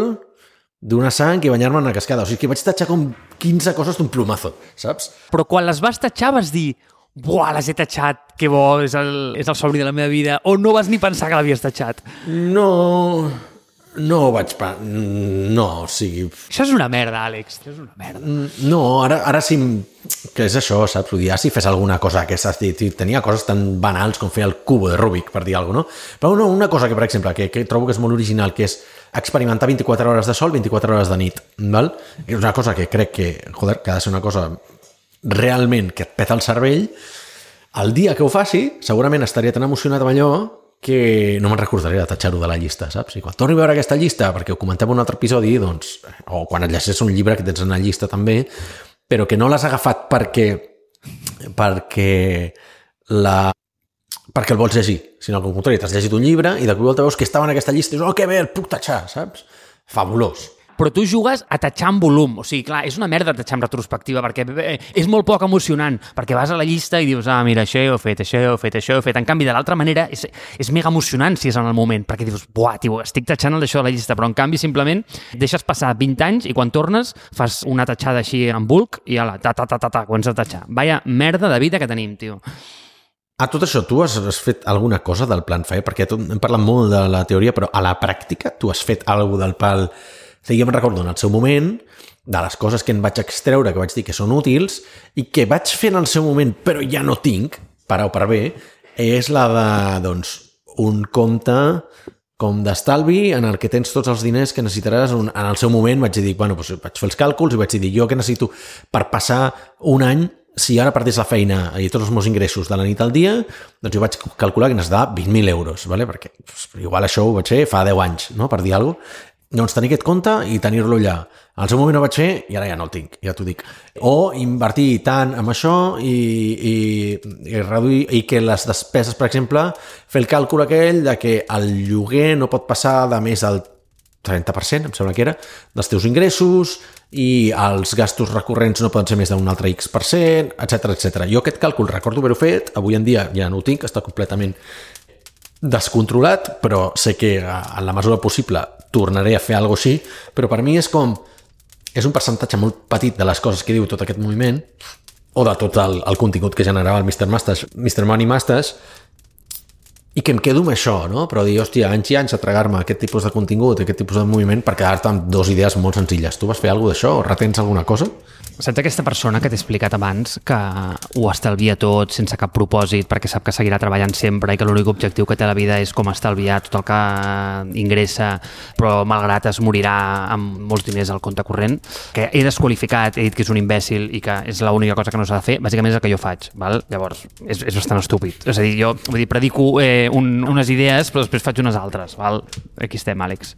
S1: donar sang i banyar-me en una cascada. O sigui que vaig tatxar com quinze coses d'un plumazo, saps?
S2: Però quan les vas tatxar vas dir, buah, les he tatxat, que bo, és el, és el somni de la meva vida, o no vas ni pensar que l'havies tatxat?
S1: No, no vaig... Pa... No, o sigui...
S2: Això és una merda, Àlex, això és una merda.
S1: No, ara, ara sí... Que és això, saps? Vull dir, ja si fes alguna cosa que s'has dit, tenia coses tan banals com fer el cubo de Rubik, per dir alguna cosa, no? Però no, una cosa que, per exemple, que, que trobo que és molt original, que és experimentar vint-i-quatre hores de sol, vint-i-quatre hores de nit, val? És una cosa que crec que, joder, que ha de ser una cosa realment que et peta el cervell. El dia que ho faci, segurament estaria tan emocionat amb allò que no me'n recordaré de tatxar-ho de la llista, saps? I quan torni a veure aquesta llista, perquè ho comentem en un altre episodi, doncs, o quan et llegeixes un llibre que tens en la llista també, però que no l'has agafat perquè perquè la perquè el vols llegir, sinó que al contrari, t'has llegit un llibre i de cop i volta veus que estava en aquesta llista i dius, oh, que bé, el puc tatxar, saps? Fabulós.
S2: Però tu jugues a tatxar en volum. O sigui, clar, és una merda tatxar en retrospectiva perquè és molt poc emocionant, perquè vas a la llista i dius, ah, mira, això ho he fet, això ho he fet, això ho he fet. En canvi, de l'altra manera, és, és mega emocionant si és en el moment, perquè dius, buah, tio, estic tatxant el d'això de la llista, però en canvi, simplement, deixes passar vint anys i quan tornes fas una tatxada així en bulk i ala, ta, ta, ta, ta, ta, comences a tatxar. Vaya merda de vida que tenim, tio.
S1: A tot això, tu has, has fet alguna cosa del Plan Fire? Perquè tu, hem parlat molt de la teoria, però a la pràctica tu has fet alguna cosa del pal... Jo me'n recordo en el seu moment de les coses que en vaig extreure, que vaig dir que són útils i que vaig fer en el seu moment però ja no tinc, per A o per B, és la de, doncs, un compte com d'estalvi en el que tens tots els diners que necessitaràs. En el seu moment vaig dir, bueno, doncs vaig fer els càlculs i vaig dir, jo que necessito per passar un any, si ara perdés la feina i tots els meus ingressos de la nit al dia, doncs jo vaig calcular que necessitava vint mil euros, ¿vale? Perquè doncs, igual això ho vaig fer fa deu anys, no? Per dir alguna cosa. Doncs tenir aquest compte i tenir-lo allà. Al seu moment ho vaig fer i ara ja no el tinc, ja t'ho dic. O invertir tant en això i, i, i reduir, i que les despeses, per exemple, fer el càlcul aquell de que el lloguer no pot passar de més del trenta per cent, em sembla que era, dels teus ingressos i els gastos recurrents no poden ser més d'un altre X per cent, etcètera, etcètera. Jo aquest càlcul recordo haver-ho fet, avui en dia ja no ho tinc, està completament descontrolat, però sé que en la mesura possible tornaré a fer alguna cosa així, però per mi és com és un percentatge molt petit de les coses que diu tot aquest moviment o de tot el, el contingut que generava el mister Masters, mister Money Masters, i que em quedo amb això, no? Però dir, hòstia, anys i anys a tragar-me aquest tipus de contingut, aquest tipus de moviment per quedar-te amb dues idees molt senzilles. Tu vas fer alguna d'això o retens alguna cosa?
S2: Saps aquesta persona que t'he explicat abans que ho estalvia tot sense cap propòsit perquè sap que seguirà treballant sempre i que l'únic objectiu que té a la vida és com estalviar tot el que ingressa però malgrat es morirà amb molts diners al compte corrent, que he desqualificat, he dit que és un imbècil i que és l'única cosa que no s'ha de fer, bàsicament és el que jo faig, val? Llavors és, és bastant estúpid, és a dir, jo vull dir, predico eh, un, unes idees però després faig unes altres, val? Aquí estem, Àlex.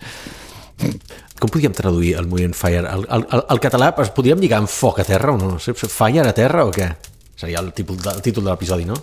S1: Com podríem traduir el moviment Fire? El, el, el, el català es podríem lligar amb foc a terra o no? Fire a terra o què? Seria el títol, el títol de l'episodi, no?